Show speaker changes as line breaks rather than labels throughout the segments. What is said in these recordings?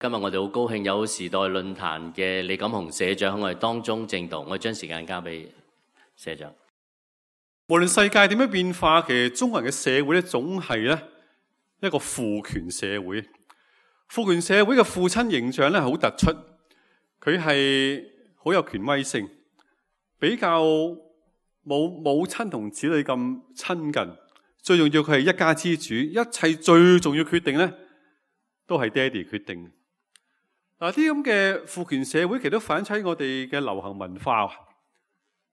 今日我哋好高興有時代論壇嘅李錦雄社長喺我哋當中證道，我將時間交俾社長。
無論世界點樣變化，其實中國人嘅社會咧，總係咧一個父權社會。父權社會嘅父親形象咧，好突出，佢係好有權威性，比較冇母親同子女咁親近。最重要佢係一家之主，一切最重要決定咧，都係爹哋決定。嗱，啲咁嘅父權社會其實都反映喺我哋嘅流行文化。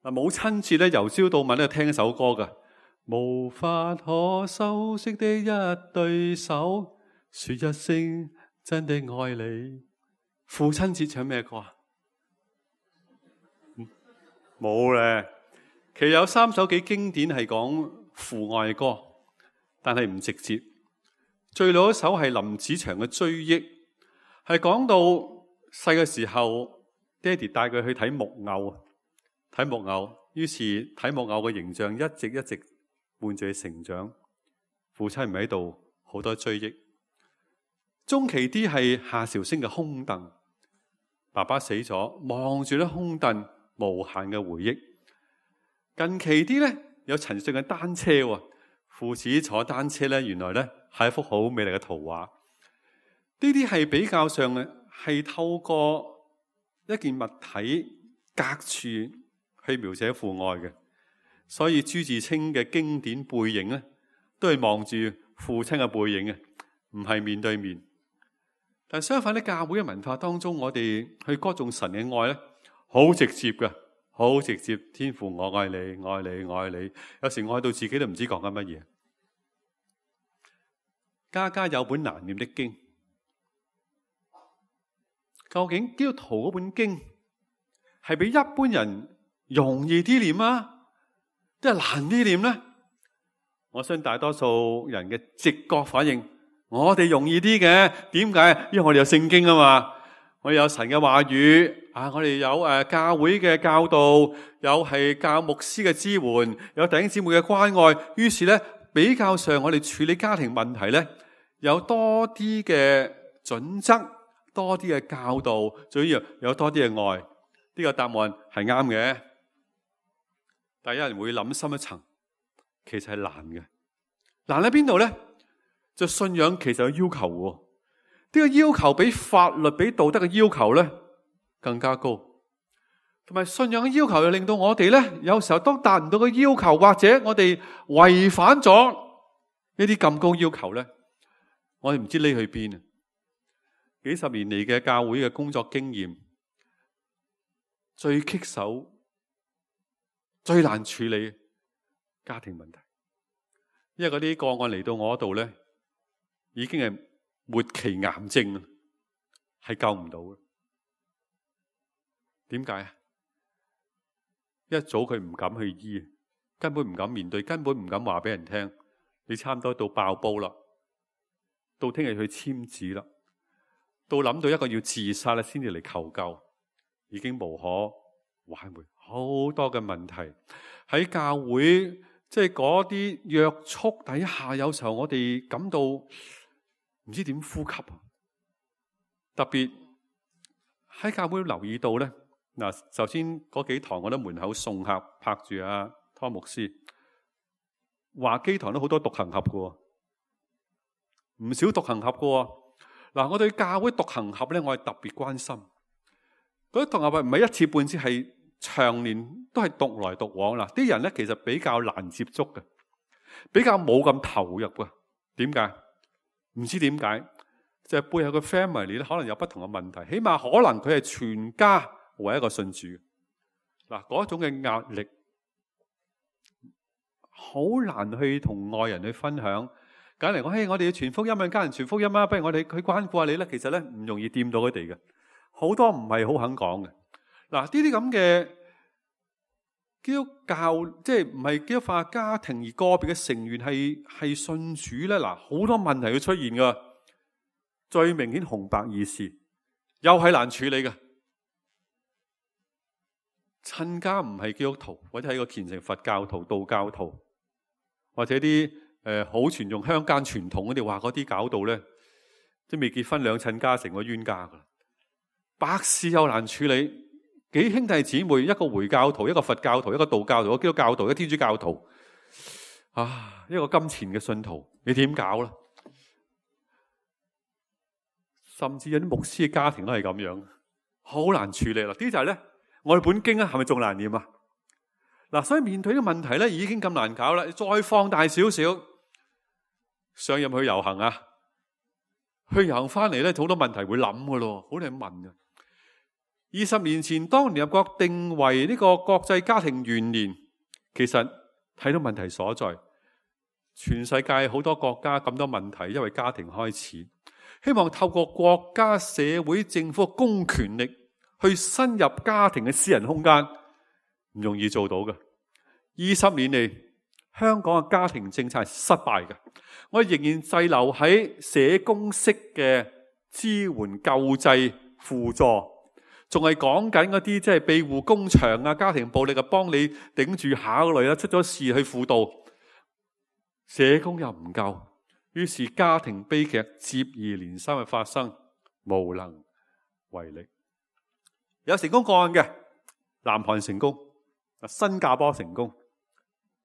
嗱，母親節咧，由朝到晚都聽一首歌噶，無法可修飾的一對手，說一聲真的愛你。父親節唱咩歌啊？冇咧。其實有3首幾經典係講父愛歌，但係唔直接。最老一首係林子祥嘅《追憶》，係講到細嘅時候，爹哋帶佢去睇木偶。睇木偶，於是睇木偶嘅形象一直伴住佢成長。父親唔喺度，好多追憶。中期啲係夏韶聲嘅空凳，爸爸死咗，望住啲空凳，無限嘅回憶。近期啲咧有陳奕迅嘅單車喎，父子坐單車咧，原來咧係一幅好美麗嘅圖畫。呢啲係比較上嘅係透過一件物體隔處去描寫父愛嘅，所以朱自清嘅經典背影咧，都係望住父親嘅背影嘅，唔係面對面。但相反喺教會嘅文化當中，我哋去歌頌神嘅愛咧，好直接嘅，好直接。天父我愛你，愛你，愛你。有時愛到自己都唔知講緊乜嘢。家家有本難念的經，究竟基督徒嗰本經係比一般人容易啲念啊，即係難啲念咧？我相信大多數人嘅直覺反應，我哋容易啲嘅。點解？因為我哋有聖經啊嘛，我哋有神嘅話語啊，我哋有教會嘅教導，有係教牧師嘅支援，有弟兄姊妹嘅關愛。於是咧，比較上我哋處理家庭問題咧，有多啲嘅準則，多啲嘅教導，最緊要有多啲嘅愛。呢個答案係啱嘅。但有人會諗深一層，其實係難嘅。難喺邊度咧？就信仰其實有要求喎。呢個要求比法律、比道德嘅要求咧更加高。同埋信仰嘅要求又令到我哋咧，有時候都達唔到個要求，或者我哋違反咗呢啲咁高要求咧，我哋唔知匿去邊啊！幾十年嚟嘅教會嘅工作經驗，最棘手、最難處理家庭問題，因為嗰啲個案嚟到我度咧，已經係末期癌症啦，係救唔到嘅。點解啊？一早佢唔敢去醫，根本唔敢面對，根本唔敢話俾人聽。你差唔多到爆煲啦，到聽日去簽字啦，到諗到一個要自殺啦，先至嚟求救，已經無可挽回。好多嘅問題喺教會，即係嗰啲約束底下，有時候我哋感到唔知點呼吸啊！特別喺教會留意到咧，嗱，首先嗰幾堂我都門口送客拍住阿湯牧師，華基堂都好多獨行俠嘅，唔少獨行俠嘅。嗱，我對教會獨行俠咧，我係特別關心。嗰啲獨行俠唔係一次半次，係長年都係獨來獨往啦。啲人咧其實比較難接觸嘅，比較冇咁投入嘅。點解？唔知點解，就係背後嘅 family 咧，可能有不同嘅問題。起碼可能佢係全家為一個信主。嗱，嗰種嘅壓力好難去同外人去分享。簡嚟講，嘿，我哋要傳福音啊，家人傳福音啊，不如我哋去關顧下你咧。其實咧唔容易掂到佢哋嘅，好多唔係好肯講嘅。嗱，呢啲咁嘅基督教，即係唔係基督化家庭，而個別嘅成員係信主咧。嗱，好多問題要出現噶。最明顯紅白二事，又係難處理嘅。親家唔係基督徒，或者係個虔誠佛教徒、道教徒，或者啲好傳統鄉間傳統嗰啲話嗰啲搞到咧，即未結婚兩親家成個冤家噶啦，百事又難處理，幾兄弟姊妹，一個回教徒，一個佛教徒，一個道教徒，一個基督教徒，一個天主教徒，一個金錢嘅信徒，你點搞呢？甚至有啲牧師嘅家庭都係咁樣，好難處理啦。啲就係咧，我哋本經係咪仲難念啊？嗱，所以面對呢個問題咧，已經咁難搞啦，再放大少少，上任去遊行啊，去遊行翻嚟咧，好多問題會諗噶咯，好多人問嘅。20年前，當聯合國定為呢個國際家庭元年，其實睇到問題所在，全世界好多國家咁多問題，因為家庭開始，希望透過國家、社會、政府公權力去深入家庭嘅私人空間，唔容易做到嘅。20年嚟，香港嘅家庭政策係失敗嘅，我哋仍然滯留喺社工式嘅支援、救濟、輔助。仲係講緊嗰啲即係庇護工場啊、家庭暴力啊，幫你頂住下嗰類啦，出咗事去輔導，社工又唔夠，於是家庭悲劇接二連三嘅發生，無能為力。有成功個案嘅，南韓成功，新加坡成功，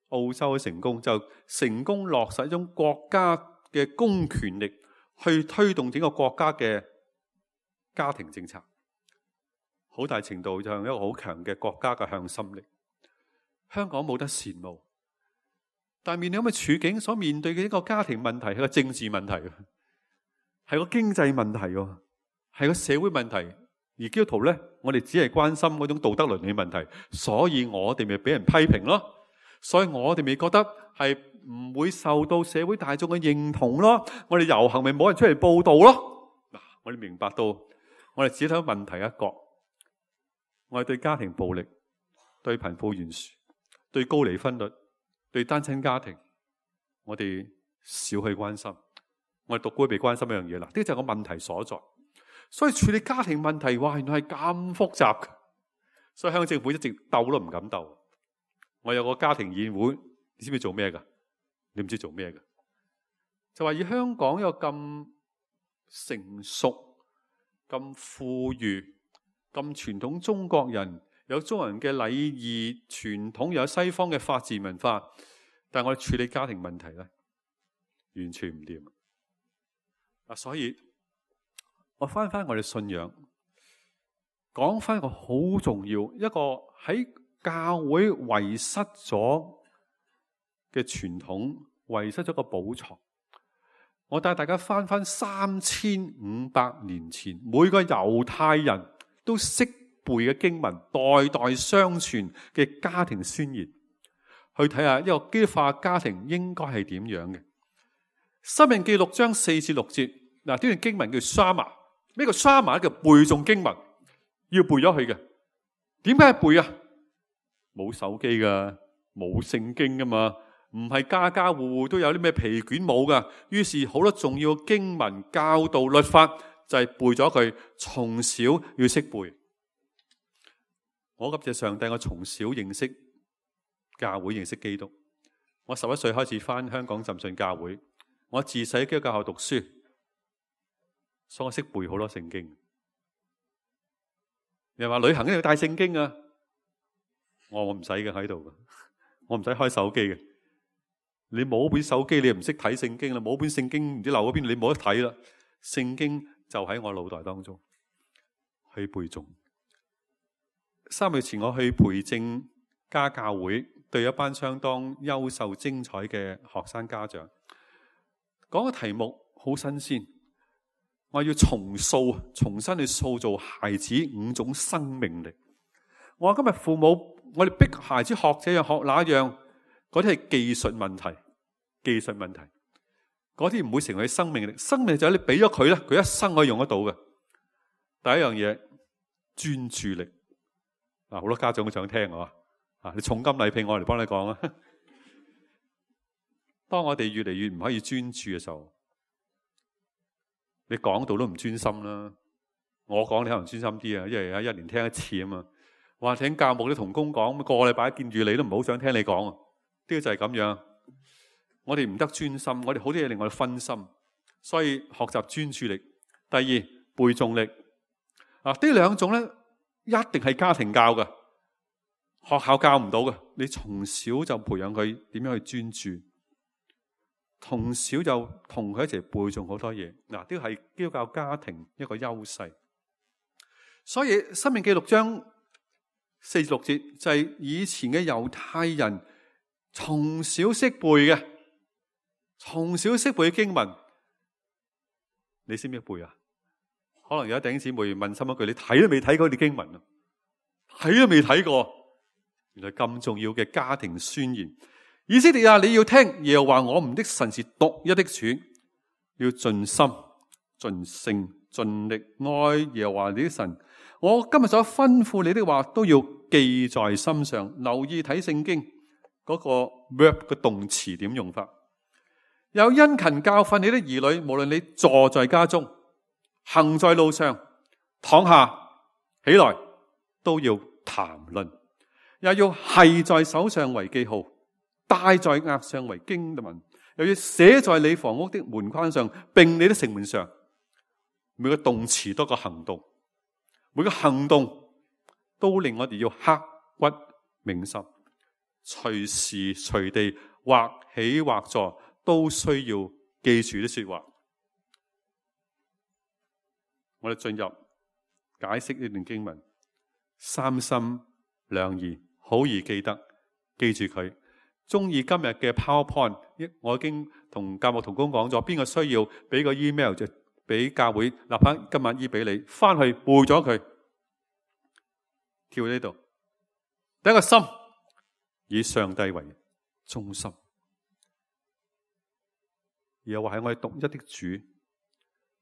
澳洲成功，就成功落實一種國家嘅公權力去推動整個國家嘅家庭政策。好大程度就係一個好強嘅國家嘅向心力。香港冇得羨慕，但係面對咁嘅處境，所面對嘅一個家庭問題係個政治問題，係個經濟問題，係個社會問題。而基督徒咧，我哋只係關心嗰種道德倫理問題，所以我哋咪俾人批評咯。所以我哋咪覺得係唔會受到社會大眾嘅認同咯。我哋遊行咪冇人出嚟報道咯。嗱，我哋明白到，我哋只睇到問題一角。我哋對家庭暴力、對貧富懸殊、對高離婚率、對單親家庭，我哋少去關心。我哋獨孤被關心一樣嘢啦，呢個就係個問題所在。所以處理家庭問題，哇，原來係咁複雜嘅。所以香港政府一直鬥都唔敢鬥。我有個家庭議會，你知唔知做咩噶？你唔知做咩噶？就話以香港有咁成熟、咁富裕、咁傳統中國人，有中國人嘅禮儀傳統，有西方嘅法治文化，但係我哋處理家庭問題咧，完全唔掂。所以我翻我哋信仰，講翻一個好重要，一個喺教會遺失咗嘅傳統，遺失咗個寶藏。我帶大家翻3500年前，每個猶太人都識背嘅經文，代代相傳嘅家庭宣言，去睇下一個基督化家庭應該係點樣嘅。申命記6章4至6節，嗱，呢段經文叫 Shama。咩叫 Shama？ 叫背誦經文，要背咗佢嘅。點解背啊？冇手機噶，冇聖經噶嘛，唔係家家戶戶都有啲咩皮卷冇噶。於是好多重要經文、教導、律法就係背咗佢，從小要識背。我感謝上帝，我從小認識教會，認識基督。我11歲開始返香港浸信教會，我自細喺基督教學讀書，所以我識背好多聖經。人話旅行一定要帶聖經啊，我唔使嘅喺度，我唔使開手機嘅。你冇本手機，你又唔識睇聖經啦；冇本聖經唔知漏咗邊，你冇得睇啦。聖經就喺我腦袋當中去背誦。3月前我去培正家教會，對一班相當優秀精彩嘅學生家長講個題目好新鮮，我要重新去塑造孩子5種生命力。我話今日父母，我哋逼孩子學這樣學那樣，嗰啲係技術問題，嗰啲唔會成為生命力。生命力就係你俾咗佢咧，佢一生可以用得到嘅。第一樣嘢，專注力。好多家長都想聽啊！你重金禮聘我嚟幫你講啊！當我哋越嚟越唔可以專注嘅時候，你講道都唔專心啦。我講你可能專心啲啊，因為一年聽一次啊嘛。話聽教牧啲同工講，個禮拜見住你都唔好想聽你講啊。呢個就係咁樣。我哋唔得專心，我哋好多嘢令我哋分心，所以學習專注力第二，背誦力。呢兩種咧，一定係家庭教嘅，學校教唔到嘅。你從小就培養佢點樣去專注，從小就同佢一齊背誦好多嘢。呢個係基督教家庭一個優勢。所以《申命記》6章4至6節就係以前嘅猶太人從小識背嘅，從小識背嘅經文，你識唔識背啊？可能有一弟兄姊妹問心一句：你睇都未睇過啲經文啊？睇都未睇過，原來咁重要嘅家庭宣言。以色列啊，你要聽耶和華我們的神是獨一的主，要盡心、盡性、盡力愛耶和華你的神。我今日所吩咐你的話都要記在心上，留意睇聖經嗰個 verb 嘅動詞點用法。有殷勤教訓你的兒女，無論你坐在家中，行在路上，躺下起來，都要談論，也要繫在手上為記號，戴在額上為經文，又要寫在你房屋的門框上，並你的城門上。每個動詞都個行動，每個行動都令我哋要刻骨銘心，隨時隨地或起或坐都需要記住啲說話。我哋進入解釋呢段經文，三心兩意，好易記得，記住佢。中意今日嘅 PowerPoint， 我已經同教牧同工講咗，邊個需要俾個 email 就俾教會，立刻今晚醫俾你，翻去背咗佢。跳呢度，第一個心，以上帝為中心，又話係我哋獨一的主。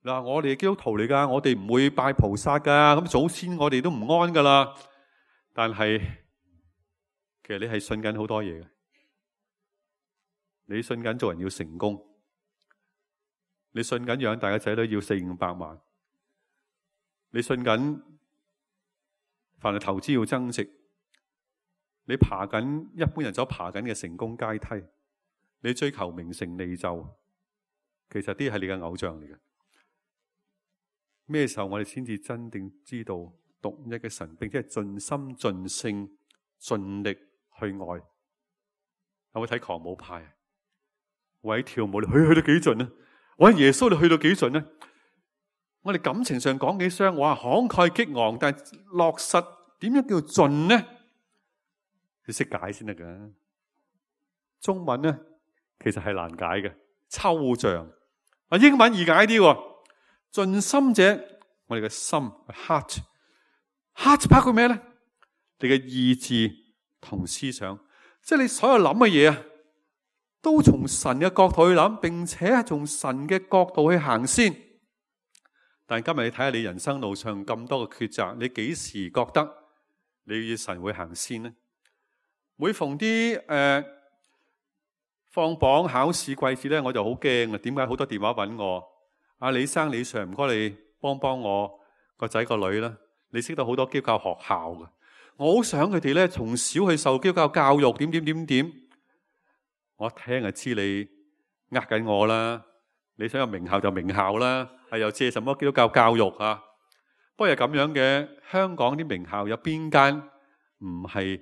嗱，我哋基督徒嚟噶，我哋唔會拜菩薩噶，咁祖先我哋都唔安噶啦。但係其實你係信緊好多嘢嘅，你信緊做人要成功，你信緊養大嘅仔女要400-500萬，你信緊凡係投資要增值，你爬緊一般人所爬緊嘅成功階梯，你追求名成利就，其實啲係你嘅偶像嚟嘅。咩時候我哋先至真正知道獨一嘅神，並且係盡心盡性盡力去愛？有冇睇狂舞派？為跳舞你去到幾盡呢？為耶穌你去到幾盡呢？我哋感情上講幾雙，哇慷慨激昂，但係落實點樣叫盡呢？你識解先得噶。中文呢其實係難解嘅，抽象。英文易解啲。盡心者，我哋嘅心 heart 包括咩咧？你嘅意志同思想，即係你所有諗嘅嘢啊，都從神嘅角度去諗，並且係從神嘅角度去行先。但係今日你睇下你人生路上咁多嘅抉擇，你幾時覺得你與神會行先呢？每逢啲放榜考試季節咧，我就好驚啊！點解好多電話揾我？阿李生李 Sir， 唔該你幫我個仔個女啦。你識得好多基督教學校嘅，我好想佢哋咧從小去受基督教教育，點。我聽就知你呃緊我啦。你想有名校就名校啦，係又借什麼基督教教育啊？不過係咁樣嘅，香港啲名校有邊間唔係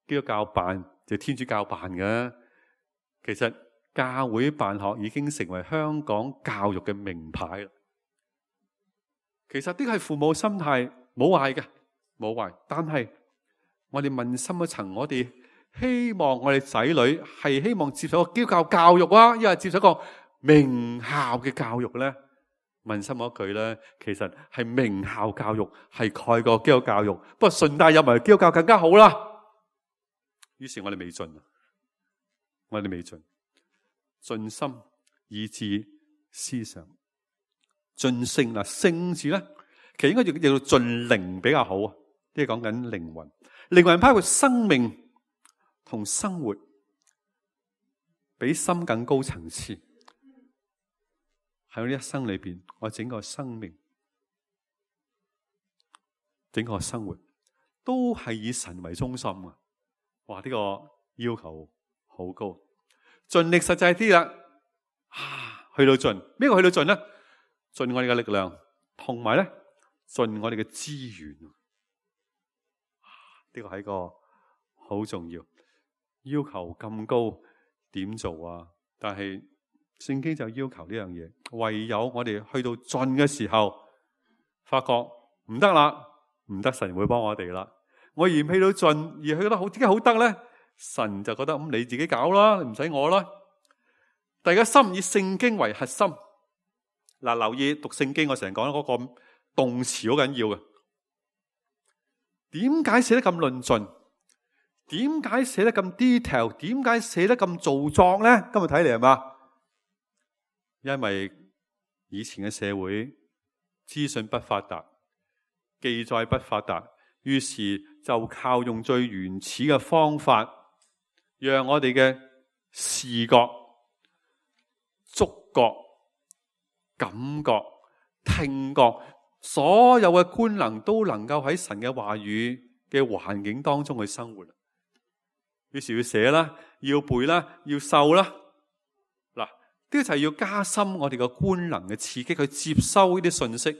基督教辦就天主教辦嘅？其實教會辦學已經成為香港教育嘅名牌啦。其實呢個係父母心態，冇壞嘅，冇壞。但係我哋問深一層，我哋希望我哋仔女係希望接受個基督教教育啊，抑或接受個名校嘅教育咧？問深一句咧，其實係名校教育係蓋過基督教教育，不過順帶入埋基督教更加好啦。於是我哋未盡，盡心、意志、思想、盡性啦。性字咧，其實應該叫做盡靈比較好啊。即係講緊靈魂，靈魂包括生命同生活，比心更高層次。喺我呢一生裏邊，我整個生命、整個生活都係以神為中心啊！哇，呢個要求好高。盡力實際啲啦，去到盡，咩個去到盡咧？盡我哋嘅力量，同埋咧盡我哋嘅資源。呢個係一個好重要，要求咁高點做啊？但係聖經就要求呢樣嘢，唯有我哋去到盡嘅時候，發覺唔得啦，唔得，神會幫我哋啦。我嫌棄到盡，而去覺得好點解好得咧？神就覺得咁你自己搞啦，你唔使我啦。大家心以聖經為核心。嗱，留意讀聖經，我成日講嗰個動詞好緊要嘅。點解寫得咁論盡？點解寫得咁 detail？ 點解寫得咁做作咧？今日睇嚟係嘛？因為以前嘅社會資訊不發達，記載不發達，於是就靠用最原始嘅方法，讓我哋嘅視覺、觸覺、感覺、聽覺，所有嘅官能都能夠喺神嘅話語嘅環境當中去生活。於是要寫啦，要背啦，要受啦。嗱，呢個就係要加深我哋嘅官能嘅刺激，去接收呢啲信息。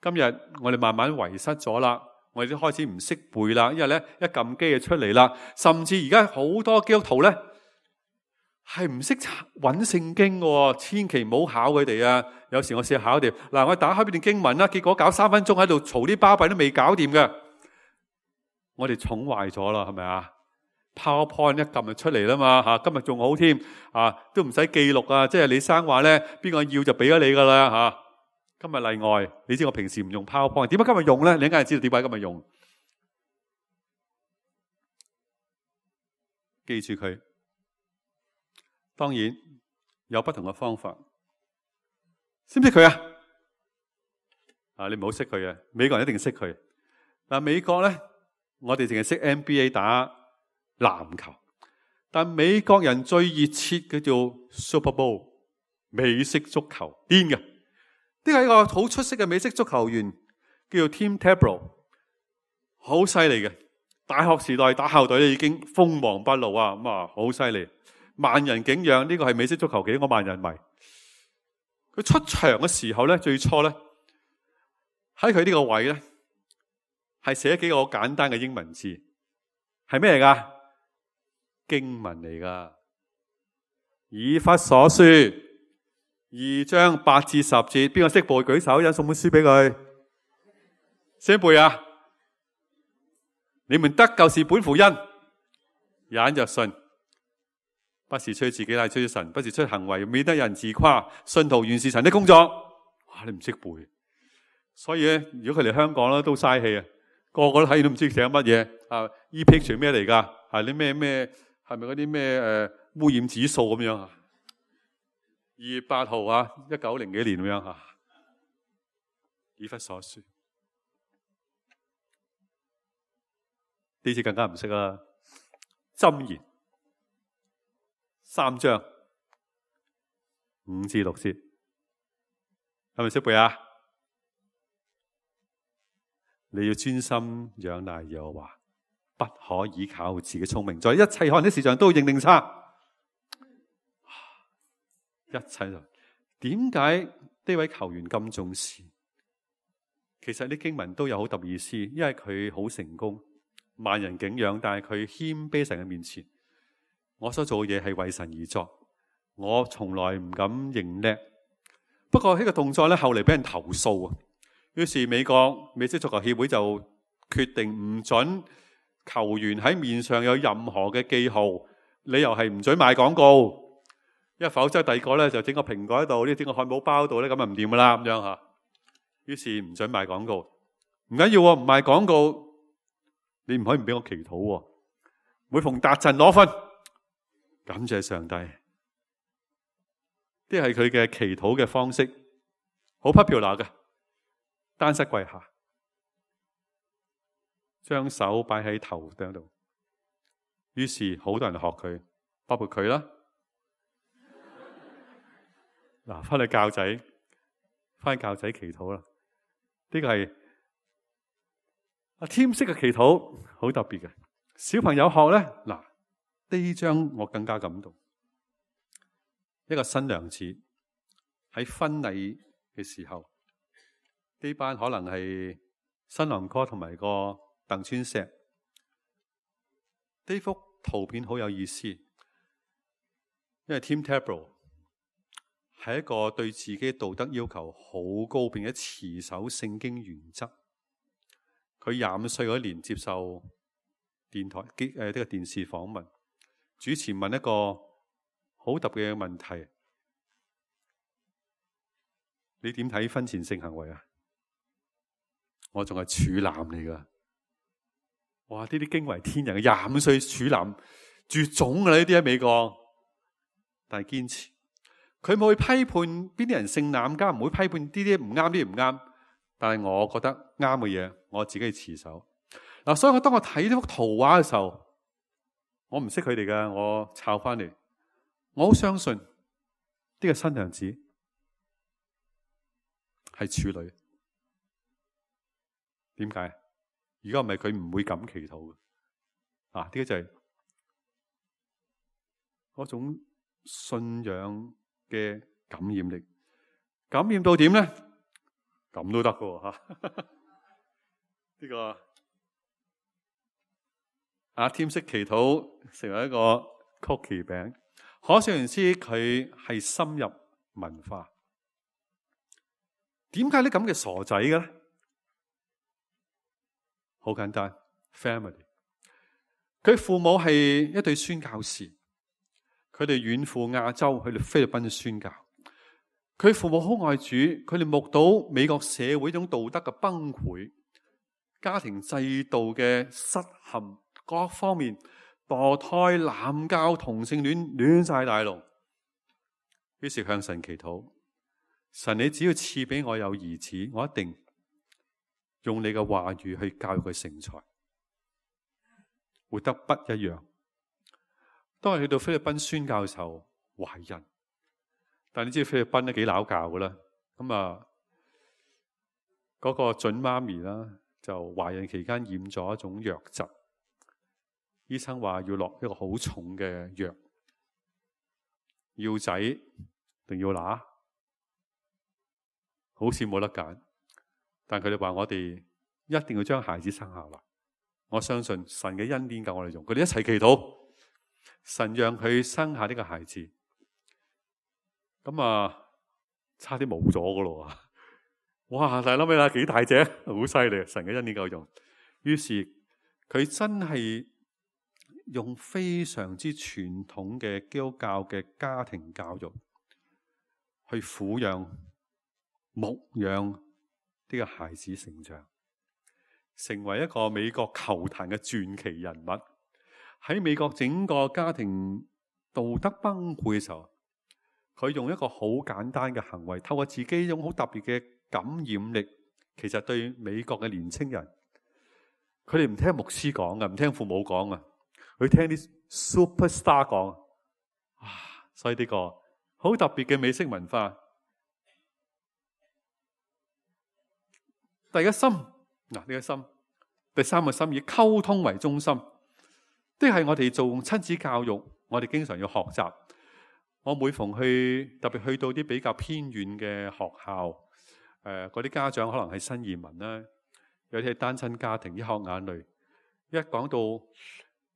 今日我哋慢慢遺失咗啦，我哋都開始唔識背啦，因為咧一撳機就出嚟啦。甚至而家好多基督徒咧係唔識揾聖經嘅，千祈唔好考佢哋啊！有時我試下考佢哋，嗱，我打開呢段經文啦，結果搞3分鐘喺度嘈啲巴閉都未搞掂嘅，我哋寵壞咗啦，係咪啊？PowerPoint 一撳就出嚟啦嘛，吓，今日仲好添啊，都唔使記錄啊，即係李生話咧，邊個要就俾咗你噶啦吓。今日例外，你知我平時唔用 PowerPoint， 點解今日用咧？你梗係知道點解今日用。記住佢，當然有不同嘅方法。識唔識佢啊？啊，你唔好識佢啊！美國人一定識佢。嗱，美國咧，我哋淨係識 NBA 打籃球，但美國人最熱切嘅叫 Super Bowl 美式足球，癲嘅。呢個係一個好出色嘅美式足球員，叫做 Tim Tebow， 好犀利嘅。大學時代打校隊咧已經鋒芒不露啊，咁啊好犀利，萬人景仰。呢個係美式足球幾個萬人迷。佢出場嘅時候咧，最初咧喺佢呢個位咧係寫幾個簡單嘅英文字，係咩嚟噶？經文嚟噶，以弗所書2章8至10節，邊個識背舉手，有送本書俾佢。識背啊？你們得救是本乎恩，也因着信，不是出自己，乃出於神；不是出行為，免得有人自誇。信徒原是神的工作。哇！你唔識背，所以咧，如果佢嚟香港咧，都嘥氣啊！個個都睇完都唔知寫乜嘢啊！E-picture 咩嚟噶？係啲咩？係咪嗰啲咩污染指數咁樣啊？2月8號啊，1900幾年咁樣吓。以弗所書呢次更加唔識啦。箴言3章5至6節，係咪識背啊？你要專心仰賴耶和華，不可倚靠自己聰明，在一切可能的事上都要認定他。一切就點解呢位球員咁重視？其實啲經文都有好特別意思，因為佢好成功，萬人景仰，但係佢謙卑神嘅面前。我所做嘅嘢係為神而作，我從來唔敢認叻。不過呢個動作咧，後嚟俾人投訴啊。於是美國美式足球協會就決定唔准球員喺面上有任何嘅記號，理由係唔准賣廣告。因為否則第二個咧就整個蘋果喺度，呢整個漢堡包喺度咧，咁就唔掂噶啦咁樣吓。於是唔准賣廣告，唔緊要，唔賣廣告，你唔可以唔俾我祈禱。每逢達陣攞分，感謝上帝。呢係佢嘅祈禱嘅方式，好 popular 嘅。單膝跪下，將手擺喺頭頂度，於是好多人學佢，包括佢啦。嗱，翻去教仔，翻去教仔祈禱啦。呢個係阿添式嘅祈禱，好特別嘅。小朋友學咧，嗱，呢章我更加感動。一個新娘子喺婚禮嘅時候，呢班可能係新郎哥同埋個鄧川石。呢幅圖片好有意思，因為 Tim Tebow 係一個對自己道德要求好高，並且持守聖經原則。佢25歲嗰年接受呢個電視訪問，主持問一個好特別嘅問題：你點睇婚前性行為啊？我仲係處男嚟噶。哇！呢啲驚為天人嘅25歲處男，絕種噶啦！呢啲喺美國，但係堅持。佢冇去批判邊啲人性濫交，唔會批判呢啲唔啱，呢啲唔啱。但係我覺得啱嘅嘢，我自己持守。嗱，所以當我睇呢幅圖畫嘅時候，我唔識佢哋㗎，我抄翻嚟，我好相信呢個新娘子係處女。點解？如果唔係，佢唔會咁祈禱嘅。呢個就係嗰種信仰嘅感染力，感染到點咧？咁都得嘅吓。呢個阿添式祈禱成為一個曲奇餅，可想而知佢係深入文化。點解啲咁嘅傻仔嘅咧？好簡單 ，family。佢父母係一對宣教士，佢哋遠赴亞洲去到菲律賓宣教。佢父母好愛主，佢哋目睹美國社會一種道德嘅崩潰，家庭制度嘅失陷，各方面墮胎、濫交、同性戀亂晒大龍。於是向神祈禱：神，你只要賜俾我有兒子，我一定用你嘅話語去教育佢成才，活得不一樣。當我去到菲律賓宣教嘅時候，懷孕，但你知道菲律賓都幾拗教噶啦。咁嗰個準媽咪啦，就懷孕期間染咗一種瘧疾，醫生話要落一個好重嘅藥，要仔定要乸，好似冇得揀。但佢哋話我哋一定要將孩子生下來。我相信神嘅恩典夠我哋用，佢哋一齊祈禱，神讓佢生下呢個孩子。咁差啲冇咗噶咯。哇！大諗起啦，幾大隻，好犀利！神嘅恩典夠用。於是佢真係用非常之傳統嘅基督教嘅家庭教育去撫養、牧養呢個孩子成長，成為一個美國球壇嘅傳奇人物。喺美國整個家庭道德崩潰嘅時候，佢用一個好簡單嘅行為，透過自己一種好特別嘅感染力，其實對美國嘅年青人，佢哋唔聽牧師講嘅，唔聽父母講啊，佢聽啲 superstar 講。所以呢個好特別嘅美式文化。第一個心，呢個心，第三個心以溝通為中心，都係我哋做親子教育，我哋經常要學習。我每逢特別去到啲比較偏遠嘅學校，嗰啲家長可能係新移民啦，有啲係單親家庭，一學眼淚，一講到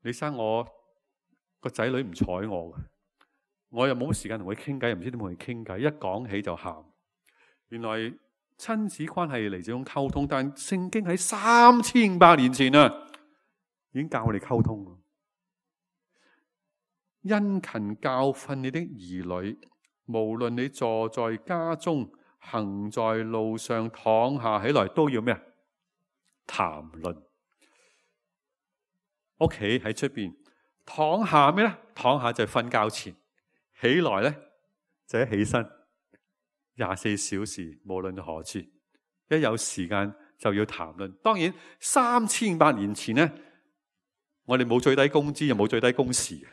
你生我個仔女唔睬我，我又冇乜時間同佢傾偈，又唔知點同佢傾偈，一講起就喊。原來親子關係嚟自種溝通，但聖經喺3500年前已經教我哋溝通。殷勤教訓你的兒女，無論你坐在家中、行在路上、躺下起來，都要咩啊？談論。屋企喺出邊，躺下咩咧？躺下就係瞓覺前，起來咧就一起身。24小時，無論何處，一有時間就要談論。當然3500年前咧，我哋冇最低工資，又冇最低工時。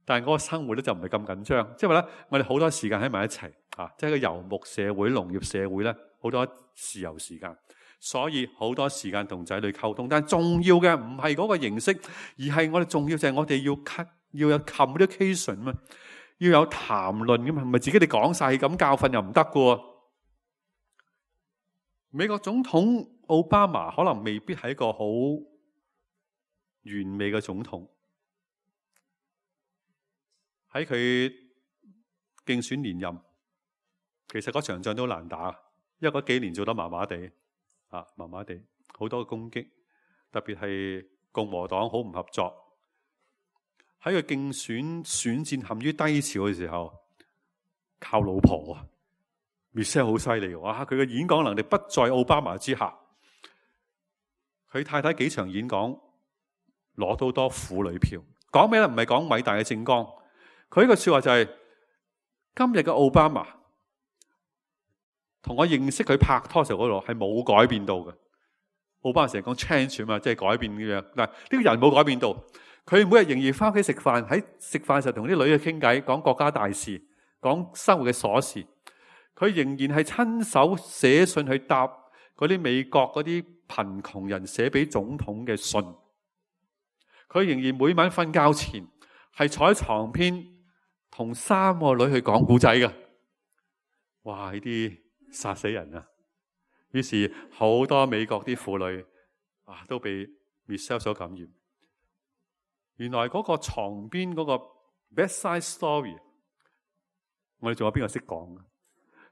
但係嗰個生活咧就唔係咁緊張，即係話咧，我哋好多時間喺埋一齊，即係個遊牧社會、農業社會咧，好多自由時間，所以好多時間同仔女溝通。但係重要嘅唔係嗰個形式，而係我哋重要就係我哋要有 communication 嘛，要有談論噶嘛，唔係自己哋講晒咁教訓又唔得噶。美國總統奧巴馬可能未必係一個好完美嘅總統，喺佢競選連任，其實嗰場仗都難打，因為嗰幾年做得麻麻地，麻麻地，好多攻擊，特別係共和黨好唔合作。喺佢競選選戰陷於低潮嘅時候，靠老婆Michelle 好犀利，哇！佢嘅演講能力不在奧巴馬之下。佢太太幾場演講攞到多婦女票，講咩咧？唔係講偉大嘅政綱，佢呢個說話就係、今日嘅奧巴馬同我認識佢拍拖時候嗰度係冇改變到嘅。奧巴馬成日講 change 嘛，即係改變嘅樣。嗱，呢個人冇改變到，佢每日仍然翻屋企食飯，喺食飯時候同啲女去傾偈，講國家大事，講生活嘅瑣事。佢仍然係親手寫信去答嗰啲美國嗰啲貧窮人寫俾總統嘅信。佢仍然每晚瞓覺前係坐喺床邊同3個女去講故仔嘅。哇！呢啲殺死人啊！於是好多美國啲婦女都被 Michelle 所感染。原來嗰個床邊嗰個 bedside story， 我哋仲有邊個識講嘅？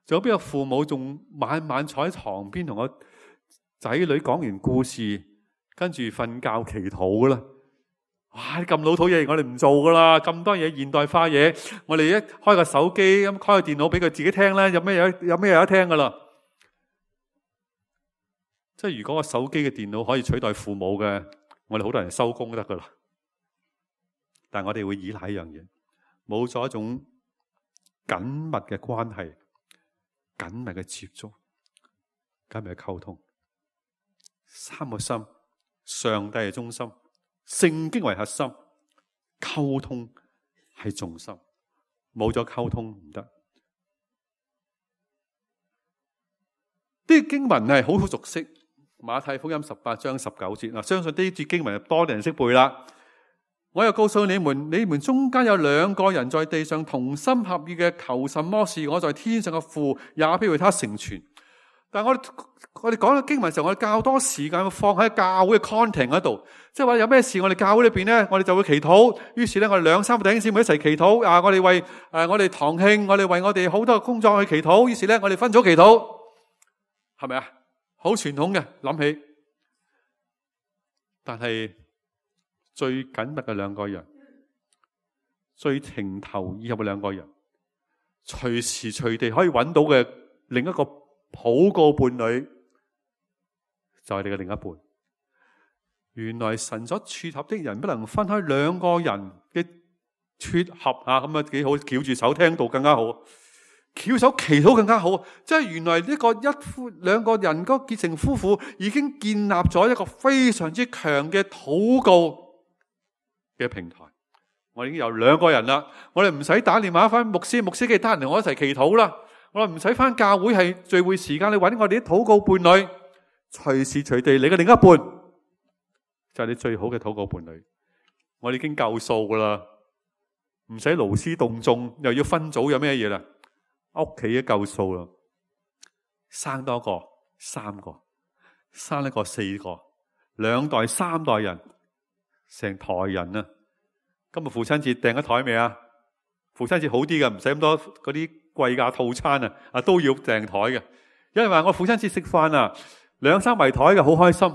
仲有邊個父母仲晚晚坐喺床邊同個仔女講完故事，跟住瞓覺祈禱嘅啦？哇！咁老土嘢我哋唔做噶啦，咁多嘢現代化嘢，我哋一開個手機咁開個電腦俾佢自己聽啦，有咩有得聽噶啦？即係如果個手機嘅電腦可以取代父母嘅，我哋好多人收工都得噶啦。但係我哋會依賴一樣嘢，冇咗一種緊密嘅關係、緊密嘅接觸、緊密嘅溝通。3個心，上帝係中心，聖經為核心，溝通係重心。冇咗溝通唔得。啲經文係好熟悉，馬太福音18章19節。相信呢節經文多啲人識背啦。我又告訴你們，你們中間有2個人在地上同心合意嘅求什麼事，我在天上嘅父也必為他成全。但係我哋講到經文嘅時候，我哋較多時間放喺教會嘅 content 嗰度，即係話有咩事，我哋教會裏邊咧，我哋就會祈禱。於是咧，我哋2-3個弟兄姊妹一齊祈禱。我哋為我哋堂慶，我哋為我哋好多嘅工作去祈禱。於是咧，我哋分組祈禱，係咪啊？好傳統嘅諗起，但係最緊密嘅2個人，最情投意合嘅2個人，隨時隨地可以揾到嘅另一個禱告伴侶，就係你嘅另一半。原來神所撮合的人不能分開2個人嘅撮合咁啊，幾好，翹住手聽道更加好，翹手祈禱更加好。即係原來呢個2個人嗰結成夫婦已經建立咗一個非常之強嘅禱告嘅平台。我已經有2個人啦，我哋唔使打電話翻牧師記得閒同我一齊祈禱啦。我哋唔使翻教會係聚會時間，你揾我哋啲禱告伴侶，隨時隨地你嘅另一半就係你最好嘅禱告伴侶。我哋已經夠數噶啦，唔使勞師動眾，又要分組，有咩嘢啦？屋企都夠數啦，生多個3個，生一個4個，2代3代人，成台人啊！今日父親節訂咗台未啊？父親節好啲嘅，唔使咁多嗰啲貴價套餐啊，都要訂台嘅。有人話我父親節食飯2-3圍台嘅，好開心。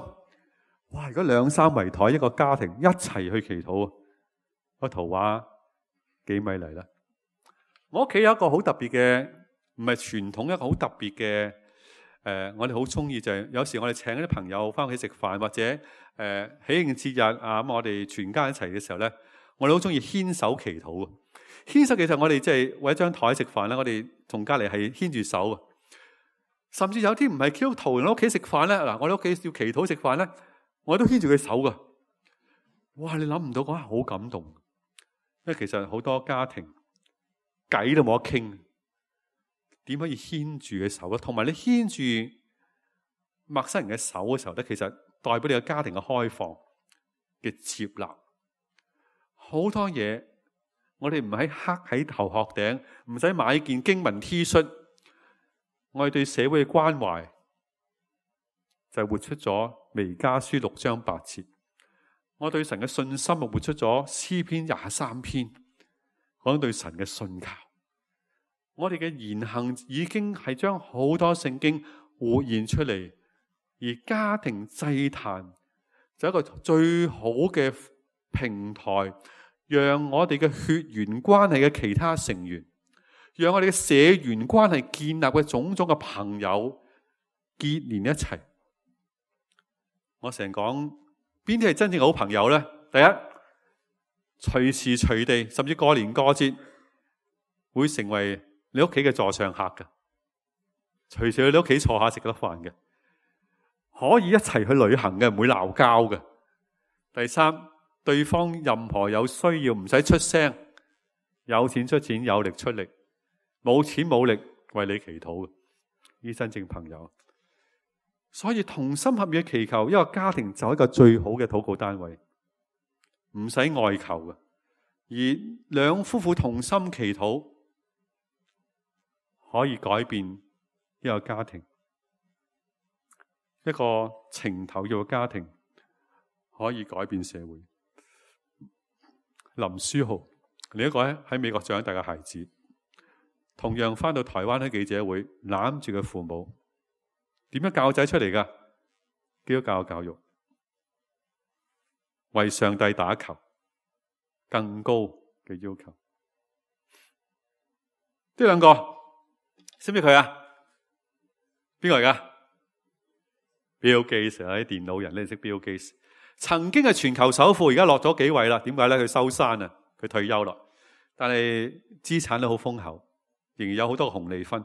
哇！如果2-3圍台一個家庭一齊去祈禱，個圖畫幾美麗啦！我屋企有一個好特別嘅，唔係傳統，一個好特別嘅我哋好中意就係有時我哋請啲朋友翻屋企食飯，或者喜慶節日咁我哋全家一齊嘅時候咧，我哋好中意牽手祈禱。牽手其實我哋即係為一張台食飯咧，我哋同隔籬係牽住手。甚至有啲唔係基督徒人喺屋企食飯咧，嗱，我哋屋企要祈禱食飯咧，我都牽住佢手噶。哇！你諗唔到嗰下好感動，因為其實好多家庭偈都冇得傾，點可以牽住佢手咧？同埋你牽住陌生人嘅手嘅時候咧，其實代表你個家庭嘅開放嘅接納。好多嘢我哋唔喺刻喺頭殼頂，唔使買件經文 T 恤，我哋對社會嘅關懷就係活出咗彌迦書6章8節。我對神嘅信心啊，活出咗詩篇23篇，講對神嘅信靠。我哋嘅言行已經係將好多聖經活現出嚟，而家庭祭壇就係一個最好嘅平台，讓我哋嘅血緣關係嘅其他成員，讓我哋嘅社緣關係建立嘅種種嘅朋友結連一齊。我成日講邊啲係真正嘅好朋友呢？第一，隨時隨地，甚至過年過節會成為你屋企嘅座上客嘅，隨時去你屋企坐下食得飯嘅，可以一齊去旅行嘅，唔會鬧交嘅。第三，對方任何有需要唔使出聲，有錢出錢，有力出力，冇錢冇力為你祈禱嘅，呢真正朋友。所以同心合意祈求，一個家庭就係一個最好嘅禱告單位，唔使外求嘅。而兩夫婦同心祈禱，可以改變一個家庭，一個情投意嘅家庭可以改變社會。林書豪，另一個喺美國長大嘅孩子，同樣翻到台灣喺記者會攬住佢父母。點樣教仔出嚟㗎？基督教教育，為上帝打球，更高嘅要求。呢兩個識唔識佢啊？邊個嚟㗎？Bill Gates，啲電腦人你識 Bill Gates？曾經係全球首富，而家落咗幾位啦？點解咧？佢收山啊，佢退休啦。但係資產都好豐厚，仍然有好多紅利分。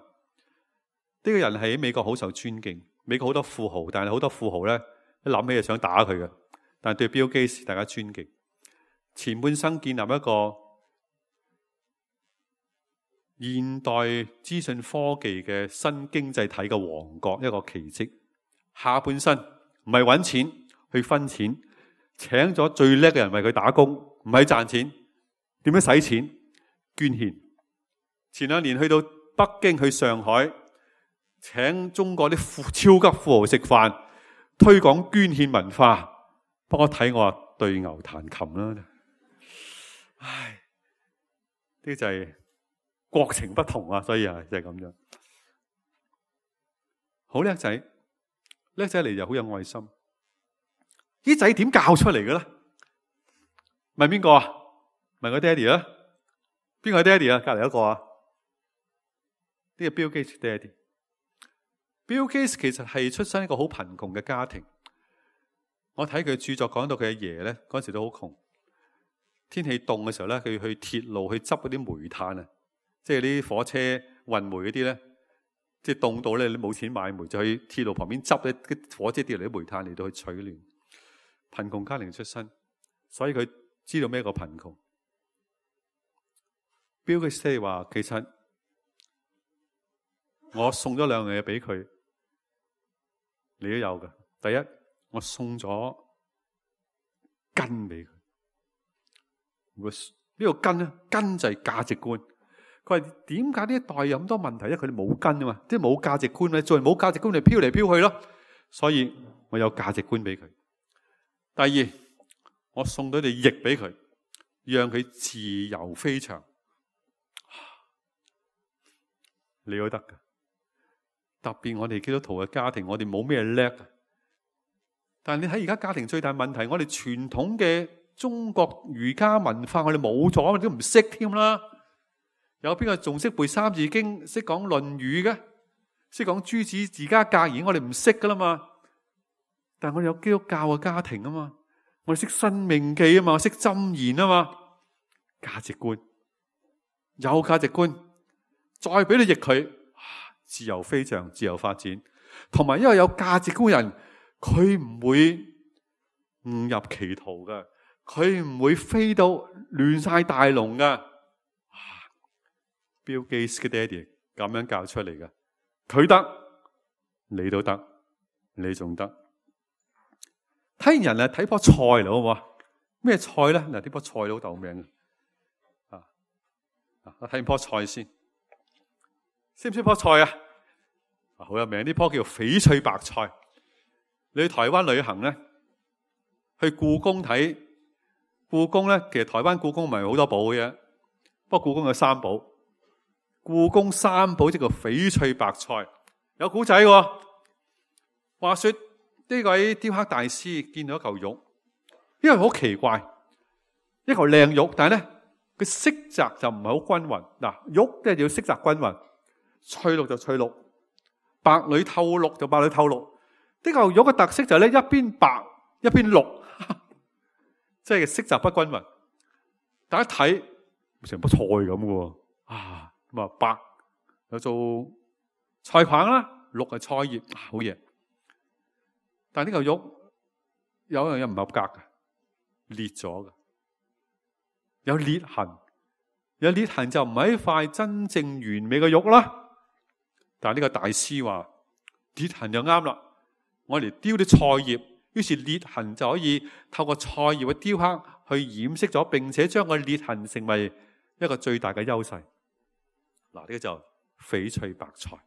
呢個人喺美國好受尊敬，美國好多富豪，但係好多富豪咧一諗起就想打佢嘅。但係對 Bill Gates 大家尊敬，前半生建立一個現代資訊科技嘅新經濟體嘅王國，一個奇蹟。下半生唔係揾錢去分錢，請咗最叻嘅人為佢打工，唔係賺錢，點樣使錢？捐獻。前2年去到北京去上海，請中國啲超級富豪食飯，推廣捐獻文化。不過睇我話對牛彈琴啦，唉，呢就係國情不同啊，所以啊就係咁樣。好叻仔，叻仔嚟就好有愛心。啲仔點教出嚟嘅咧？問邊個啊？問個爹哋啊？邊個係爹哋啊？隔籬一個啊？呢個 Bill Gates 爹哋。Bill Gates 其實係出身一個好貧窮嘅家庭。我睇佢著作講到佢阿爺咧，嗰陣時都好窮。天氣凍嘅時候咧，佢去鐵路去執嗰啲煤炭啊，即係啲火車運煤嗰啲咧，即係凍到咧你冇錢買煤，就去鐵路旁邊執啲火車跌嚟啲煤炭嚟到去取暖。貧窮家庭出身，所以佢知道咩個貧窮。Bill Gates 話：其實我送咗2樣嘢俾佢。你都有嘅。第一，我送咗根俾佢。呢個根咧，根就係價值觀。佢話點解呢一代有咁多問題？因為佢哋冇根啊嘛，即係冇價值觀咧，做人冇價值觀，你飄嚟飄去咯。所以我有價值觀俾佢。第二，我送咗對翼俾佢，讓佢自由飛翔。你都得噶。特別我哋基督徒嘅家庭，我哋冇咩叻，但係你睇而家家庭最大問題，我哋傳統嘅中國儒家文化我哋冇咗，我哋都唔識添啦。有邊個仲識背《三字經》，識講《論語》嘅，識講諸子治家格言？我哋唔識噶啦嘛。但係我哋有基督教嘅家庭啊嘛，我哋識申命記啊嘛，識箴言啊嘛，價值觀有價值觀，再俾你譯佢。自由飛翔，自由發展，同埋因為有價值觀嘅人，佢唔會誤入歧途嘅，佢唔會飛到亂晒大龍嘅。Bill Gates 嘅爹哋咁樣教出嚟嘅，佢得，你都得，你仲得。睇人啊，睇棵菜嚟好唔好啊？咩菜咧？嗱，呢棵菜好有名嘅。我睇完棵菜先。識唔識棵菜啊？好有名，呢棵叫翡翠白菜。你去台灣旅行咧，去故宮睇故宮咧，其實台灣故宮唔係好多寶嘅，不過故宮有3寶。故宮3寶即係翡翠白菜，有古仔喎。話說呢位雕刻大師見到一嚿玉，因為好奇怪，一嚿靚玉，但係咧佢色澤就唔係好均勻。嗱，玉即係要色澤均勻，翠綠就翠綠，白裏透綠就白裏透綠。呢嚿玉嘅特色就係咧，一邊白一邊綠，即係色澤不均勻。大家睇成棵菜咁嘅喎，咁啊白有做菜框啦，綠係菜葉，好嘢。但係呢嚿玉有一樣嘢唔合格嘅，裂咗嘅，有裂痕。有裂痕就唔係一塊真正完美嘅玉啦。但係呢個大師話裂痕就啱啦，我嚟雕啲菜葉，於是裂痕就可以透過菜葉嘅雕刻去掩飾咗，並且將個裂痕成為一個最大嘅優勢。嗱，呢個就翡翠白菜。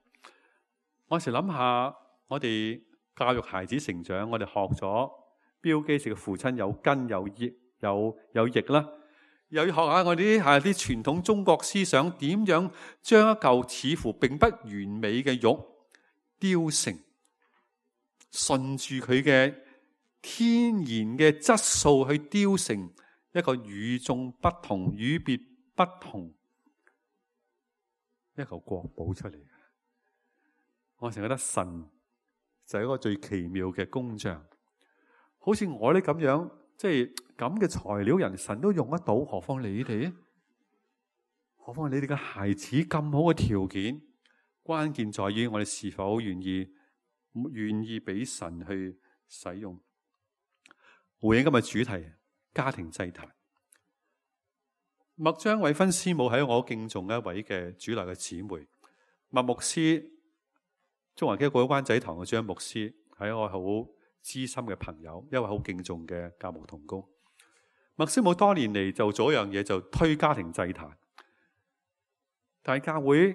我有時諗下，我哋教育孩子成長，我哋學咗標基士嘅父親有根有葉有翼啦，又要學下我哋啲傳統中國思想，點樣將一嚿似乎並不完美嘅玉雕成，順住佢嘅天然嘅質素去雕成一個與眾不同、與別不同一嚿國寶出嚟。我成日覺得神就係一個最奇妙嘅工匠，好似我哋咁樣，即係咁嘅材料人，神都用得到，何況你哋？何況你哋嘅孩子咁好嘅條件，關鍵在於我哋是否願意俾神去使用。回應今日主題，家庭祭壇。麥張偉芬師母係我敬重一位嘅主內嘅姊妹，麥牧師，中華基督教灣仔堂嘅張牧師，係我好知心嘅朋友，一位好敬重嘅教牧同工。麥師母多年嚟就做一樣嘢，就推家庭祭壇。但係教會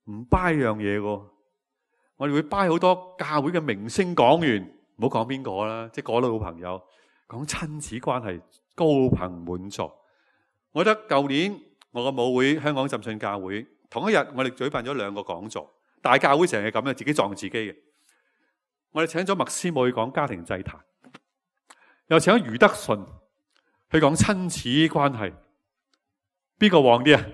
唔 buy 樣嘢喎，我哋會 buy 好多教會嘅明星講員，唔好講邊個啦，即係嗰類好朋友講親子關係，高朋滿座。我覺得舊年我個母會香港浸信教會同一日，我哋舉辦咗2個講座。大教會成日咁樣，自己撞自己嘅。我哋請咗麥師母去講家庭祭壇，又請咗余德順去講親子關係，邊個旺啲啊？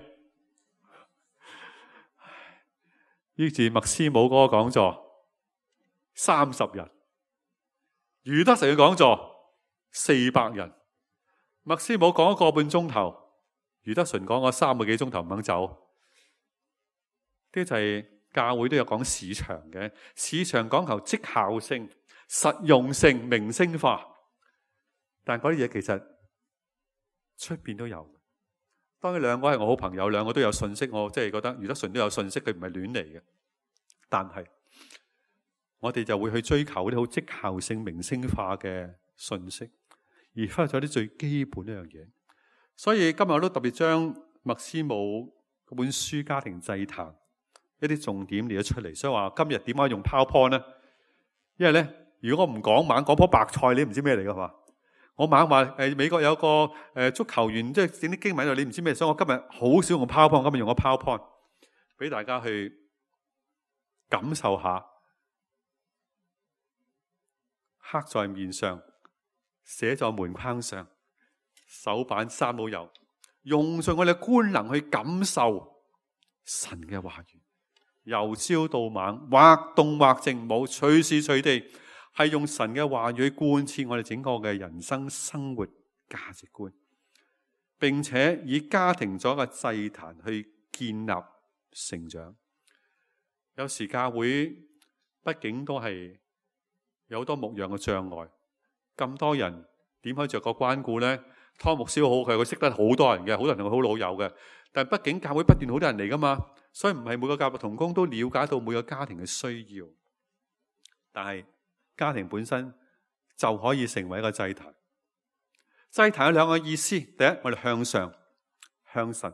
於是麥師母嗰個講座30人，余德順嘅講座400人，麥師母講1個半鐘頭，余德順講咗3個幾鐘頭唔肯走。呢就係教會都有講市場嘅，市場講求績效性、實用性、明星化，但嗰啲嘢其實出邊都有。當然2個係我好朋友，2個都有信息，我即係覺得余德順都有信息，佢唔係亂嚟嘅。但係我哋就會去追求啲好績效性、明星化嘅信息，而忽略咗啲最基本一樣嘢。所以今日我都特別將麥師母嗰本書《家庭祭壇》一啲重點列咗出嚟。所以話今日點解用 PowerPoint 咧？因為咧，如果我唔講，猛講棵白菜，你唔知咩嚟噶嘛？我猛話美國有個足球員，即係整啲經文喺度，你唔知咩，所以我今日好少用 PowerPoint，今日用個 PowerPoint 俾大家去感受下，刻在面上，寫在門框上，手板3都有，用盡我哋嘅官能去感受神嘅話語，由朝到晚，或動或靜，冇隨時隨地係用神嘅話語去貫徹我哋整個嘅人生生活價值觀，並且以家庭作一個祭壇去建立成長。有時教會畢竟都係有好多牧養嘅障礙，咁多人點可以着個關顧呢？湯牧師好，佢識得好多人嘅，好多人同佢好老友嘅。但係畢竟教會不斷好多人嚟噶嘛，所以唔係每個教牧同工都了解到每個家庭嘅需要。但係家庭本身就可以成為一個祭壇。祭壇有2個意思：第一，我哋向上向神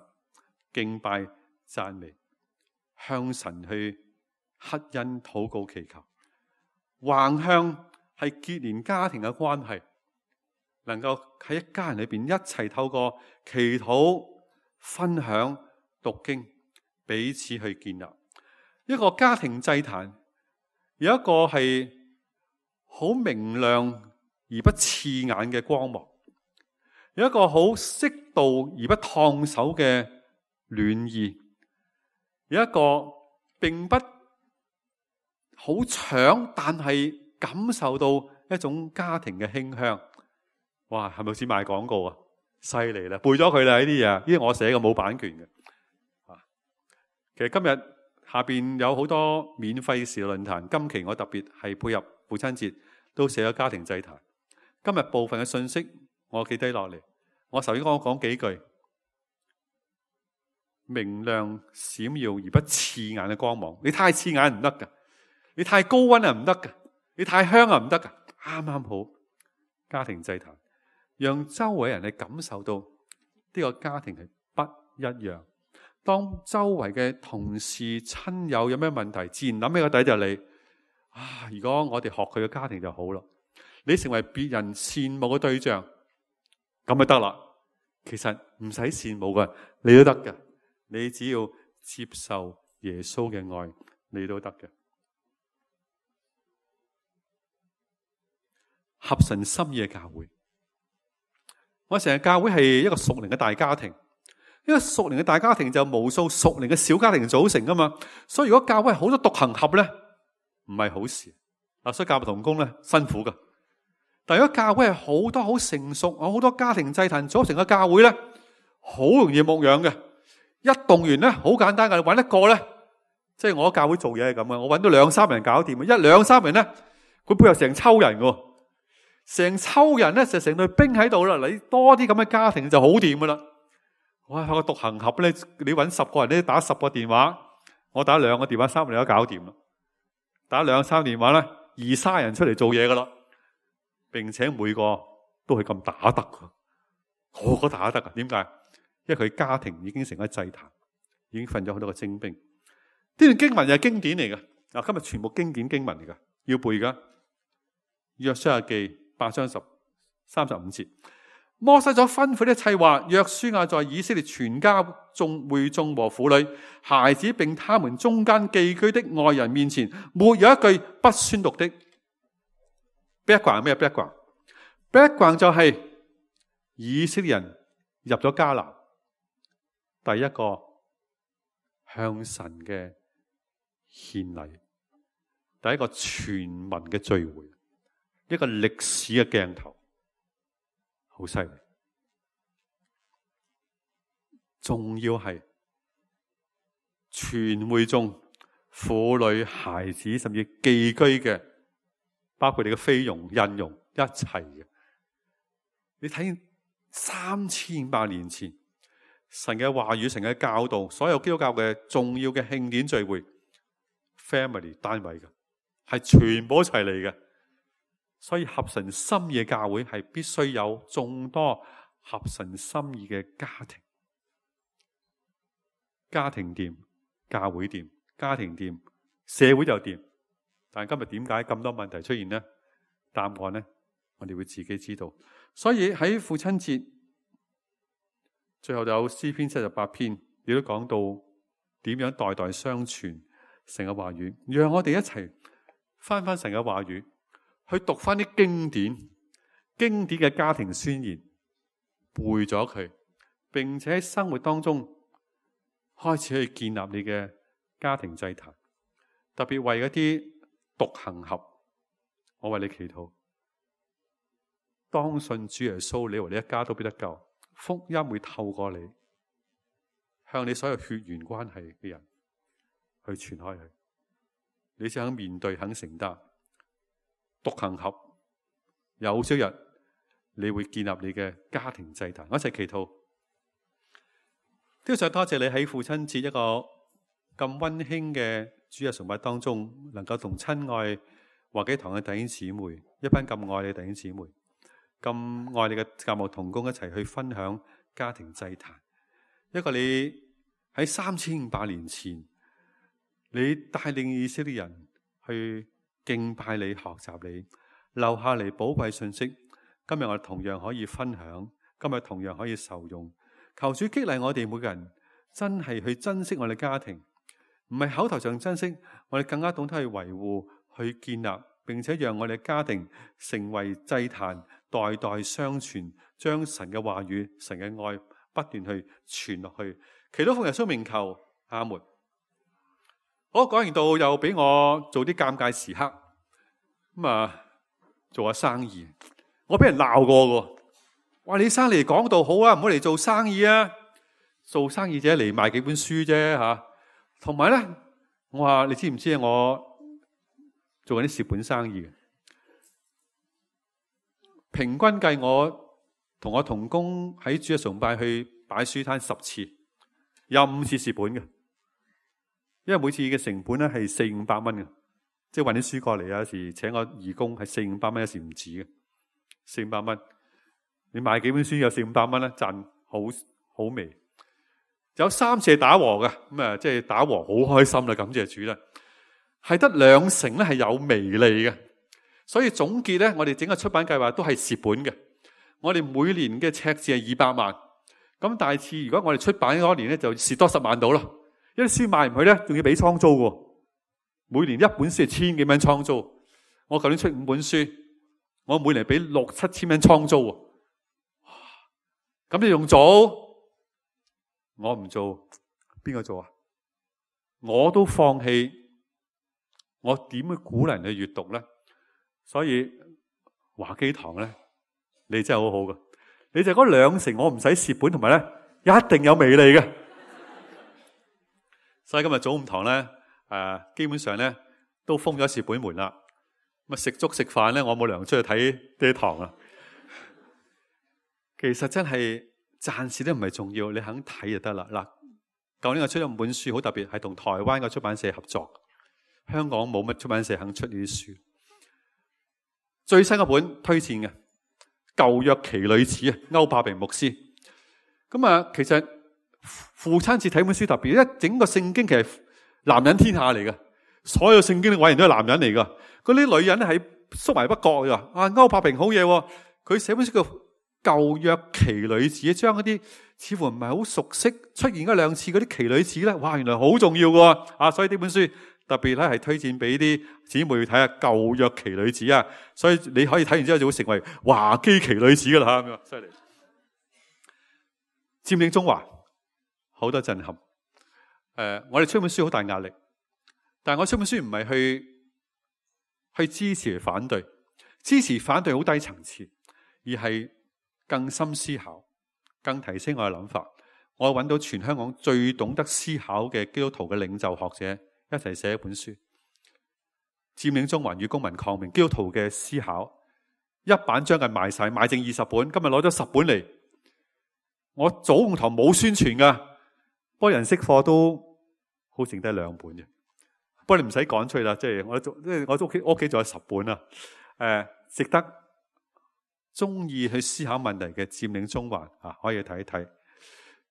敬拜讚美，向神去乞恩禱告祈求；橫向係結連家庭嘅關係，能夠喺一家人裏邊一齊透過祈禱、分享、讀經，彼此去建立一個家庭祭壇。有一個係好明亮而不刺眼嘅光芒，有一個好適度而不燙手嘅暖意，有一個並不好搶，但係感受到一種家庭嘅馨香。哇，係咪好似賣廣告啊？犀利啦，背咗佢啦呢啲嘢，呢啲我寫嘅，冇版權嘅。其實今日下邊有好多免費時論壇，今期我特別係配合父親節，都寫咗家庭祭壇。今日部分嘅信息我記低落嚟，我首先講幾句：明亮閃耀而不刺眼嘅光芒。你太刺眼唔得噶，你太高溫啊唔得噶，你太香啊唔得噶，啱啱好。家庭祭壇，讓周圍人去感受到呢個家庭係不一樣。當周圍嘅同事親友有咩問題，自然諗起個底就你啊！如果我哋學佢嘅家庭就好咯，你成為別人羨慕嘅對象，咁就得啦。其實唔使羨慕嘅，你都得嘅。你只要接受耶穌嘅愛，你都得嘅。合神心意嘅教會，我成日教會係一個屬靈嘅大家庭。呢個屬靈嘅大家庭就無數屬靈嘅小家庭組成噶嘛，所以如果教會係好多獨行俠咧，唔係好事。所以教牧同工咧辛苦噶。但如果教會係好多好成熟，好多家庭祭壇組成嘅教會咧，好容易牧養嘅。一動員咧好簡單噶，揾一個咧，即係我喺教會做嘢係咁嘅，我揾到2-3人搞掂，一2-3人咧，佢背後成抽人嘅，成抽人咧就成隊兵喺度啦。你多啲咁嘅家庭就好掂噶啦。哇！個獨行俠咧，你揾10個人咧，打10個電話，我打2個電話，3個人都搞掂啦。打2-3電話咧，20-30人出嚟做嘢噶啦，並且每個都係咁打得噶，個個打得噶。點解？因為佢家庭已經成咗祭壇，已經訓咗好多個精兵。呢段經文又係經典嚟嘅。嗱，今日全部經典經文嚟噶，要背噶。約書亞記8章35節。摩西所吩咐的一切話，約書亞在以色列全家會眾和婦女、孩子並他們中間寄居的外人面前，沒有一句不宣讀的。background 係咩 background 就係以色列人入咗迦南，第一個向神嘅獻禮，第一個全民嘅聚會，一個歷史嘅鏡頭。好犀利，仲要係全會眾、婦女、孩子，甚至寄居嘅，包括你嘅菲傭、印傭一齊嘅。你睇3500年前神嘅話語、神嘅教導，所有基督教嘅重要嘅慶典聚會 ，family 單位嘅，係全部一齊嚟嘅。所以合神心意嘅教會係必須有眾多合神心意嘅家庭，家庭掂，教會掂，家庭掂，社會就掂。但係今日點解咁多問題出現呢？答案呢，我哋會自己知道。所以喺父親節最後就有詩篇78篇，亦都講到點樣代代相傳神嘅話語，讓我哋一齊翻神嘅話語。去讀翻啲經典嘅家庭宣言，背咗佢，並且喺生活當中開始去建立你嘅家庭祭壇。特別為嗰啲獨行俠，我為你祈禱，當信主耶穌，你和你一家都必得救。福音會透過你，向你所有血緣關係嘅人去傳開去。你先肯面對，肯承擔。獨行俠，有朝日你會建立你嘅家庭祭壇。我一齊祈禱。都想多謝你喺父親節一個咁溫馨嘅主日崇拜當中，能夠同親愛華基堂嘅弟兄姊妹，一班咁愛你嘅弟兄姊妹，咁愛你嘅教牧同工一齊去分享家庭祭壇。一個你喺3500年前，你帶領以色列人去敬拜你、學習你，留下嚟寶貴信息。今日我哋同樣可以分享，今日同樣可以受用。求主激勵我哋每個人，真係去珍惜我哋家庭，唔係口頭上珍惜，我哋更加懂得去維護、去建立，並且讓我哋家庭成為祭壇，代代相傳，將神嘅話語、神嘅愛不斷去傳落去。祈禱奉耶穌名求，阿門。好，講完道又俾我做啲尷尬時刻，做下生意，我俾人鬧過喎。話你生嚟講道好啊，唔好嚟做生意啊！做生意者嚟賣幾本書啫吓。同埋咧，我話你知唔知啊？我做緊啲蝕本生意嘅，平均計我同我同工喺主日崇拜去擺書攤10次，有5次蝕本嘅，因為每次嘅成本咧係400-500蚊嘅，即係運啲書過嚟，有時請我義工係400-500蚊，有時唔止嘅400-500蚊。你買幾本書有400-500蚊咧，賺好微。有3次係打和嘅，即係打和好開心啦，感謝主啦。係得2成咧係有微利嘅，所以總結咧，我哋整個出版計劃都係蝕本嘅。我哋每年嘅赤字係200萬，咁大致如果我哋出版嗰年咧就蝕多10萬到啦。因為書賣唔去咧，仲要俾倉租嘅，每年一本書係1000幾蚊倉租。我舊年出5本書，我每年俾6-7千蚊倉租。咁你用做？我唔做，邊個做啊？我都放棄，我點去鼓勵人去閱讀咧？所以華基堂咧，你真係好好㗎。你就嗰2成，我唔使蝕本，同埋咧一定有微利嘅。所以今日早午堂咧，基本上咧都封咗蝕本門啦。咁食粥食飯咧，我冇糧出去睇呢堂啊。其實真係暫時都唔係重要，你肯睇就得啦。嗱，舊年我出咗5本書，好特別，係同台灣個出版社合作。香港冇乜出版社肯出呢啲書。最新一本推薦嘅《舊約奇女子》啊，歐柏平牧師。咁其實父親節睇本書特別，一整個聖經其實男人天下嚟嘅，所有聖經嘅偉人都係男人嚟噶。嗰啲女人咧係縮埋不覺嘅。歐柏平好嘢，佢寫本書叫舊約奇女子，將嗰啲似乎唔係好熟悉出現1-2次嗰啲奇女子咧，哇，原來好重要嘅。所以呢本書特別咧係推薦俾啲姊妹去睇下舊約奇女子啊。所以你可以睇完之後就會成為華基奇女子噶啦，咁樣犀利。佔領中華好多震撼。我哋出本書好大壓力，但係我出本書唔係去支持反對，支持反對好低層次，而係更深思考，更提升我嘅諗法。我揾到全香港最懂得思考嘅基督徒嘅領袖學者一齊寫一本書，佔領中環與公民抗命，基督徒嘅思考。一版將近賣晒，賣剩20本，今日攞咗10本嚟。我早午堂冇宣傳噶，不過人識貨都好剩低2本嘅。不過你唔使趕出去啦，即係我屋企仲有10本啊。值得中意去思考問題嘅佔領中環可以睇一睇。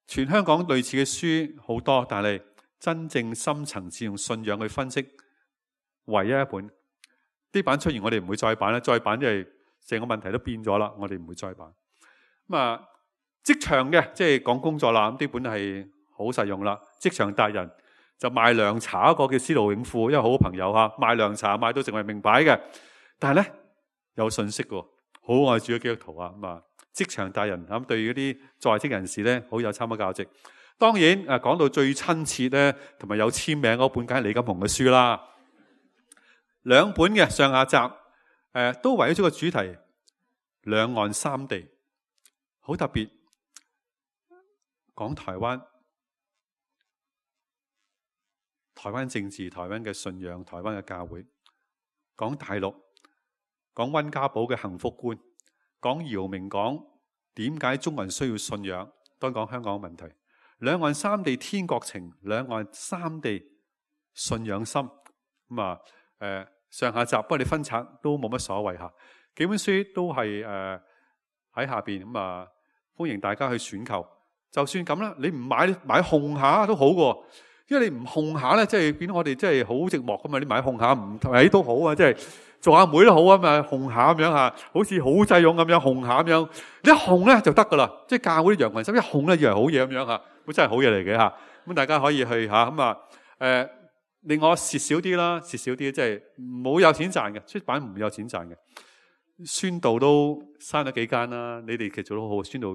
全香港類似嘅書好多，但係真正深層次用信仰去分析，唯一一本呢版出現，我哋唔會再版啦。再版即係成個問題都變咗啦，我哋唔會再版。職場嘅即係講工作啦，咁呢本係好實用啦。職場達人就賣涼茶一個叫司徒永富，因為好好朋友賣涼茶賣到成為名牌嘅，但係咧有信息嘅，好愛主嘅基督徒啊。職場達人咁對嗰啲在職人士咧好有參考價值。當然講到最親切咧，同埋有簽名嗰本梗係李錦鴻嘅書啦。2本嘅上下集都圍繞咗個主題，兩岸三地，好特別。講台灣政治、台灣嘅信仰、台灣嘅教會；講大陸，講溫家寶嘅幸福觀；講姚明講點解中國人需要信仰，當講香港問題。兩岸三地天國情，兩岸三地信仰心。上下集，不過你分拆都冇乜所謂吓。幾本書都係喺下邊歡迎大家去選購。就算咁啦，你唔買控下都好過，因為你唔控下咧，即係變到我哋真係好寂寞噶嘛。你買控下唔睇都好啊，即做阿妹都好啊嘛，紅下咁樣吓，好似好濟勇咁樣紅下咁樣，你一紅咧就得噶啦，即係教會啲羊群心一紅咧以為好嘢咁樣吓，咁真係好嘢嚟嘅吓。咁大家可以去吓咁啊，另外蝕少啲啦，蝕少啲即係冇有錢賺嘅，出版唔有錢賺嘅。宣道都閂咗幾間啦，你哋其實做得好好，宣道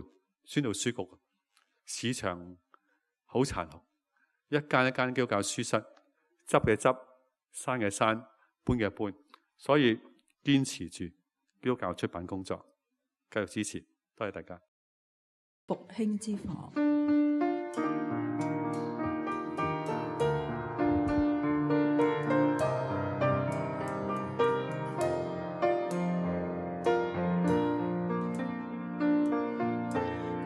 書局，市場好殘酷，一間一間基督教書室，執嘅執，閂嘅閂，搬嘅搬，所以堅持住基督教出版工作，繼續支持，多謝大家。
復興之房。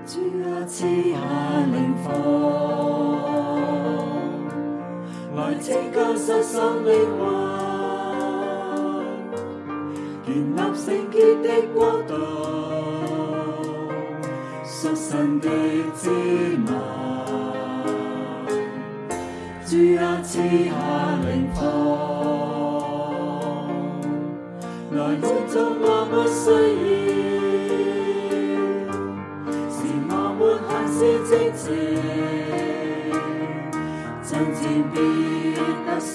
主啊，賜下靈火，來拯救失喪靈魂，建立聖潔的國度，屬神的子民。主啊，賜下靈火，來滿足我們需要。是正直，爭戰必得勝。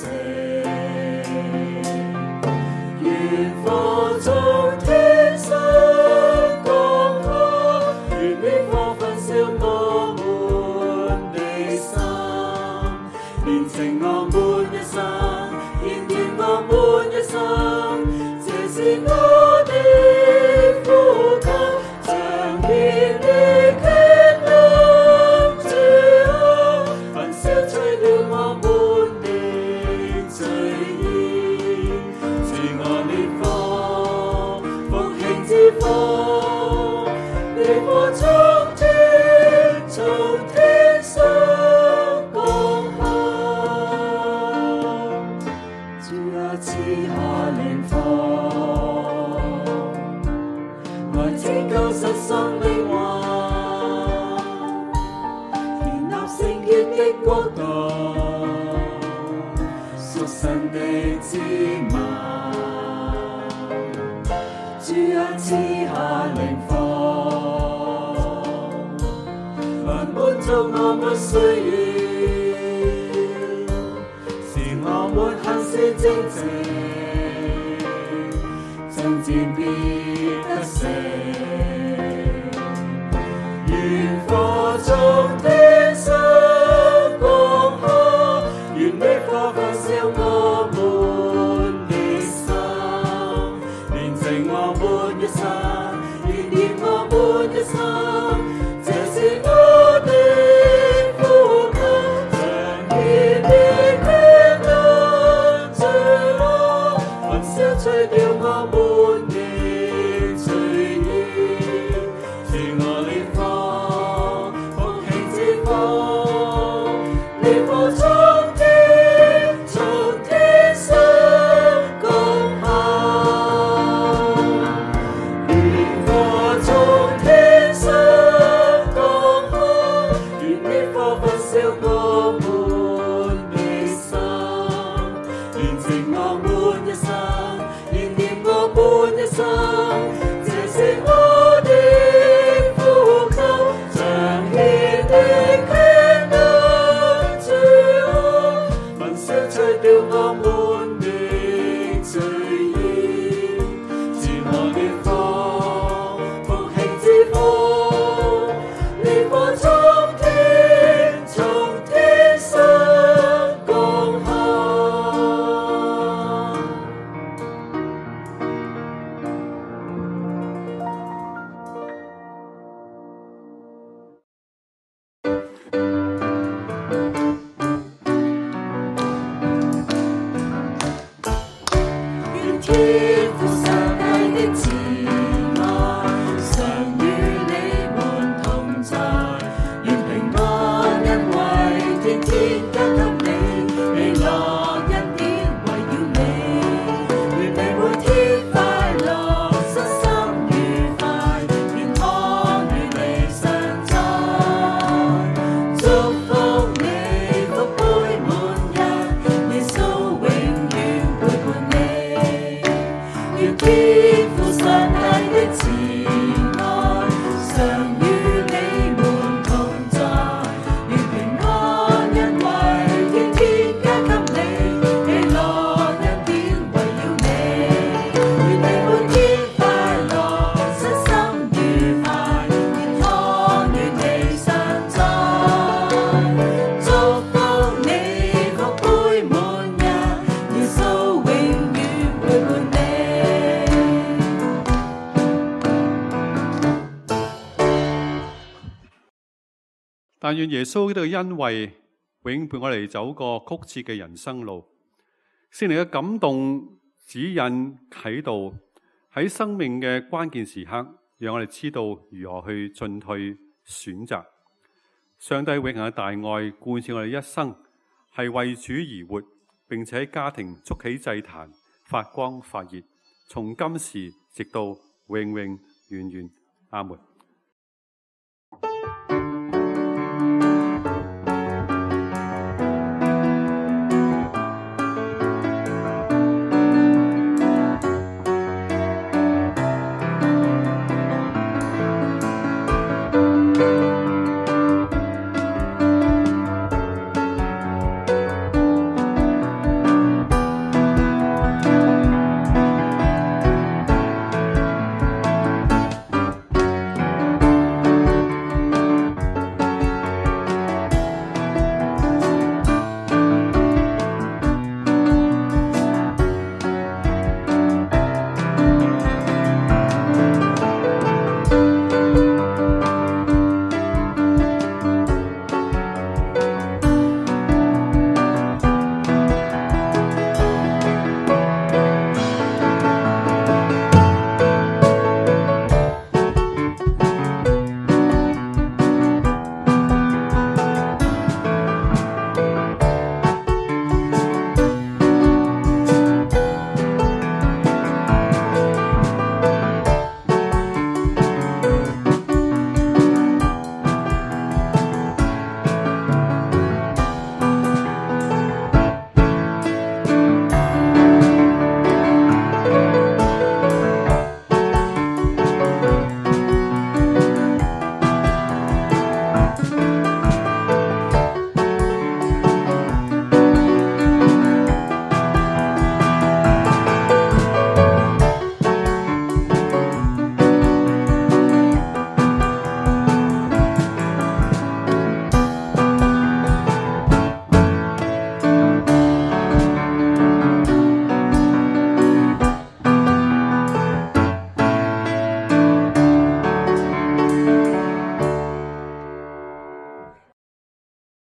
願火從天上降下，願烈火焚燒我們的心，煉淨我們一生，燃點我們一生。這是我的呼求，彰顯的權能。國度，屬神的子民。主啊，賜下靈火，來滿足我們需要，使我們行事正直，爭戰必得勝。願火從天上我們的心，煉淨我們一生，燃點我們一生。這是我的呼求，彰顯的權能。主啊，焚燒除掉我們的罪孽，賜我烈火，復興之火，烈火從天上降下，願火從天上降下，願烈火焚燒我們的心，煉淨我們一生，燃點我們一生。這是我的呼求，彰顯的權能。主啊，焚燒除掉我們的罪孽，賜我烈火，復興之火，烈火從天上降下。天父上帝的旨
但願耶穌呢個恩惠永伴我哋走過曲折嘅人生路，聖靈嘅感動指引啟導，喺生命嘅關鍵時刻，讓我哋知道如何去進退選擇。上帝永恆嘅大愛貫徹我哋一生，係為主而活，並且喺家庭築起祭壇，發光發熱，從今時直到永永遠遠。阿門。